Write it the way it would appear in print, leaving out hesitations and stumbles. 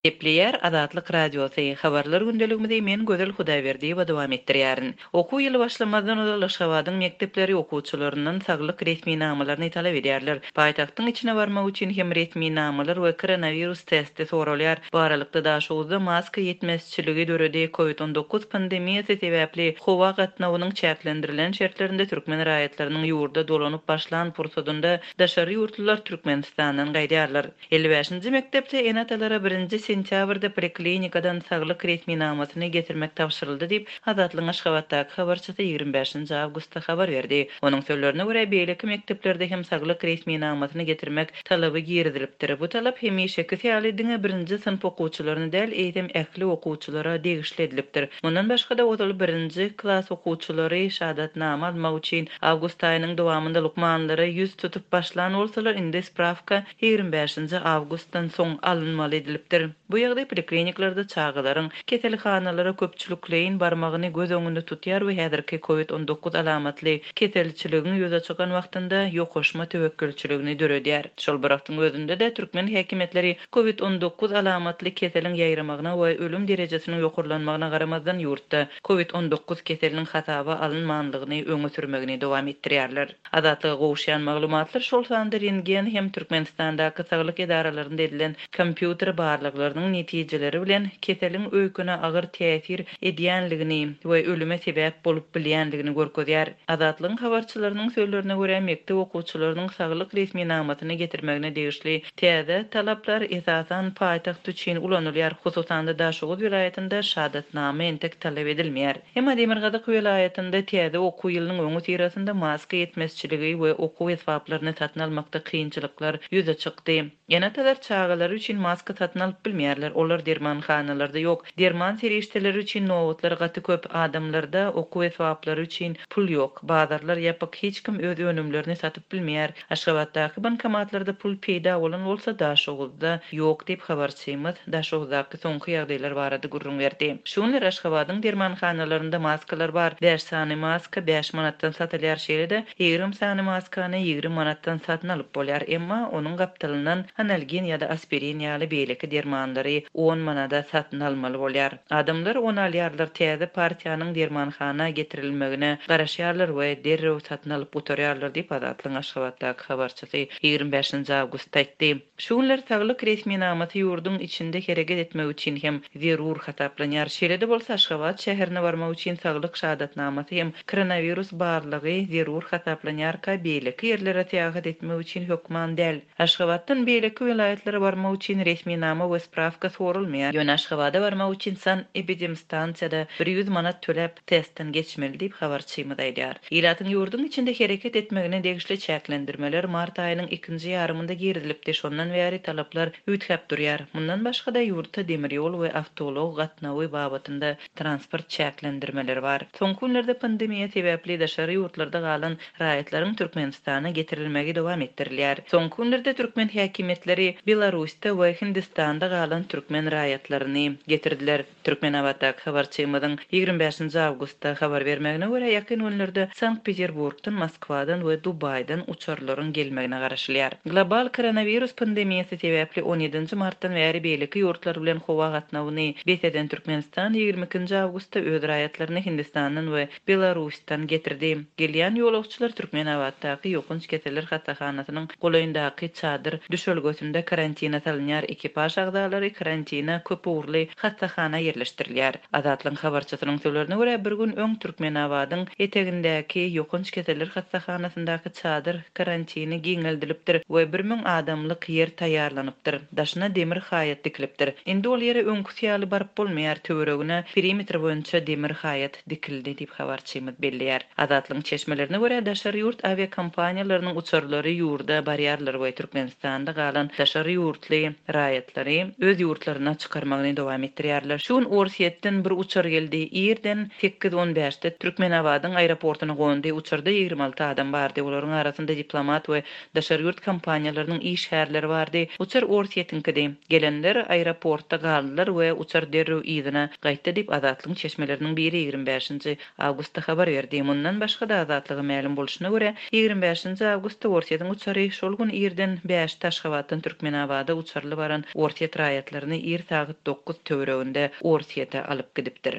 Gepleýär Azatlyk Radiosy, Habarlar gündeligimizi men Gözel Hudaýberdiýewa dowam etdirýärin. Okuw ýyly başlamazdan ozal Aşgabadyň mekdepleri okuwçylaryndan saglyk resminamalaryny talap edýärler. Paýtagtyň içine barmak üçin hem resminamalar we koronawirus testi soralýar. Bu aralykda Daşoguzda maska ýetmezçiligi döredi. Covid 19 pandemiýasy sebäpli howa gatnawynyň çäklendirilen şertlerinde türkmen raýatlarynyň ýurda dolanyp başlan pursadynda daşary ýurtlular Türkmenistandan gaýdýarlar. 55-nji mekdepde ene-atalara birinji sentýabrda poliklinikadan saglyk resminamasyny getirmek tabşyryldy diýip, Azatlygyň Aşgabatdaky habarçysy 25-nji awgustda habar berdi. Onuň sözlerine görä, beýleki mekdeplerde hem saglyk resminamasyny getirmek talaby girizilipdir. Bu talap hemişekisi ýaly diňe birinji synp okuwçylaryna däl, eýsem ähli okuwçylara degişli edilipdir. Mundan başga-da, ozal birinji klas okuwçylary şahadatnama almak üçin awgust aýynyň dowamynda lukmanlara ýüz tutup başlan bolsalar, indi sprawka 25-nji awgustdan soň alynmaly edilipdir. Bu ýagdaý polikliniklerde çagalaryň keselhanalara köpçülikleýin barmagyny göz öňünde tutýar we häzirki covid 19 alamatly keselçiligiň ýüze çykan wagtynda ýokaşma töwekgelçiligini döredýär. Şol bir wagtyň özünde-de, türkmen häkimiýetleri covid 19 alamatly keseliň ýaýramagyna we ölüm derejesiniň ýokarlanmagyna garamazdan ýurtda covid 19 keseliniň hasaba alynmanlygyny öňe sürmegini dowam etdirýärler. Azatlyga gowuşýan maglumatlar, şol sanda rentgen hem Türkmenistandaky saglyk edaralarynda edilen kompýuter barlaglarynyň netijeleri bilen keseliň öýkene agyr täsir edýänligini we ölüme sebäp bolup bilýänligini görkezýär. Azatlygyň habarçylarynyň sözlerine görä, mekdep okuwçylarynyň saglyk resminamasyny getirmegine degişli täze talaplar esasan paýtagt üçin ulanylýar, hususan-da Daşoguz welaýatynda şahadatnama entek talap edilmeýär. Emma demirgazyk welaýatynda täze okuw ýylynyň öňüsyrasynda maska ýetmezçiligi we okuw esbaplaryny satyn almakda kynçylyklar ýüze çykdy. Ene-atalar çagalary üçin maska satyn alyp bilmeýärler, olar dermanhanalarda ýok. Derman serişdeleri üçin nobatlar gaty köp, adamlarda okuw esbaplary üçin pul ýok. Bazarlar ýapyk, hiç kim öz önümlerini satyp bilmeýär. Aşgabatdaky bankomatlarda pul peýda bolan bolsa, Daşoguzda ýok diýip, habarçymyz Daşoguzdaky soňky ýagdaýlar barada gürrüň berdi. Şu günler Aşgabadyň dermanhanalarynda maskalar bar. Bäş sany maska bäş manatdan satylýar, şeýle-de 20 sany maskany 20 manatdan satyn alyp bolýar. Emma onuň gapdalyndan analgin ýa-da aspirin ýaly beýleki dermanlary on manada satyn almaly bolýar. Adamlar ony alýarlar, täze partiýanyň dermanhana getirilmegine garaşýarlar we derrew satyn alyp gutarýarlar diýip, Azatlygyň Aşgabatdaky habarçysy 25-nji awgustda aýtdy. Şu günler saglyk resminamasy ýurduň içinde hereket etmek üçin hem zerur hasaplanýar. Şeýle-de bolsa, Aşgabat şäherine barmak üçin saglyk şahadatnamasy hem koronawirus barlagy zerur hasaplanýarka, beýleki ýerlere syýahat etmek üçin hökman däl. Aşgabatdan beýleki welaýatlara barmak üçin resminama we sprawka soralmaýar. Ýöne Aşgabada barmak üçin sanepidemstansiýada 100 manat töläp, testden geçmeli diýip, habarçymyz aýdýar. Ilatyň ýurduň içinde hereket etmegine degişli çäklendirmeler mart aýynyň ikinji ýarymynda girizilipdi, şondan bäri talaplar üýtgäp durýar. Mundan başga-da, ýurtda demir ýol we awtoulag gatnawy babatynda transport çäklendirmeleri bar. Soňky günlerde pandemiýa sebäpli daşary ýurtlarda galan raýatlaryň Türkmenistana getirilmegi dowam etdirilýär. Soňky günlerde türkmen häkimiýetleri Belarusda we Hindistanda galan türkmen raýatlaryny getirdiler. Türkmenabatdaky habarçymyzyň 25-nji awgustda habar bermegine görä, ýakyn günlerde Sankt-Peterburgdan, Moskwadan we Dubaýdan uçarlaryň gelmegine garaşylýar. Global koronawirus pandemiýasy sebäpli on ýedinji martdan bäri beýleki ýurtlar bilen howa gatnawyny bes eden Türkmenistan 22-nji awgustda öz raýatlaryny Hindistandan we Belarusdan getirdi. Gelýän ýolagçylar Türkmenabatdaky ýokanç keseller hassahanasynyň golaýyndaky çadyr düşelgesinde karantina salynýar, ekipaž agzalary karantina köp ugurly hassahana ýerleşdirilýär. Azatlygyň habarçysynyň sözlerine görä, bir gün öň Türkmenabadyň etegindäki ýokanç keseller hassahanasyndaky çadyr karantini giňeldilipdir we 1000 adamlyk ýer taýýarlanypdyr, daşyna demir haýat dikilipdir. Indi ol ýere öňküsi ýaly baryp bolmaýar, töweregine perimetr boýunça demir haýat dikildi diýip, habarçymyz belleýär. Azatlygyň çeşmelerine görä, daşary ýurt awiakompaniýalarynyň uçarlary ýurda barýarlar we Türkmenistanda galan daşary ýurtly raýatlary öz ýurtlaryna çykarmagyny dowam etdirýärler. Şu gün Orsýetden bir uçar geldi. Irden sekiz on bäşde Türkmenabadyň aeroportuna gondy. Uçarda 26 adam bardy. Olaryň arasynda diplomat we daşary ýurt kompaniýalarynyň işgärleri bardy. Uçar Orsýetiňkidi. Gelenler aeroportda galdylar we uçar derrew yzyna gaýtdy diýip, Azatlygyň çeşmeleriniň biri 25-nji awgustda habar berdi. Mundan başga-da, Azatlyga mälim bolşuna görä, 25-nji awgustda Orsýetiň uçary şol gün irden bäşde Aşgabada. Aşgabatdan Türkmenabada uçarly baran orsýet raýatlaryny ir sagat dokuz töwereginde Orsýete alyp gidipdir.